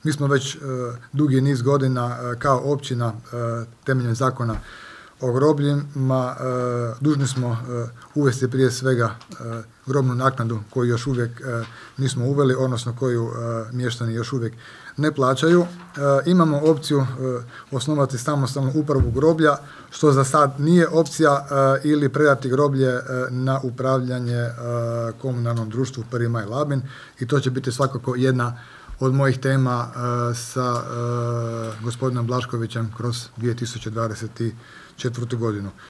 Mi smo već dugi niz godina kao općina temeljem zakona o grobljima dužni smo uvesti prije svega grobnu naknadu koju još uvijek nismo uveli, odnosno koju mještani još uvijek ne plaćaju. Imamo opciju osnovati samostalnu upravu groblja, što za sad nije opcija, ili predati groblje na upravljanje komunalnom društvu Prvi maj Labin, i to će biti svakako jedna od mojih tema sa gospodinom Blaškovićem kroz 2024. godinu.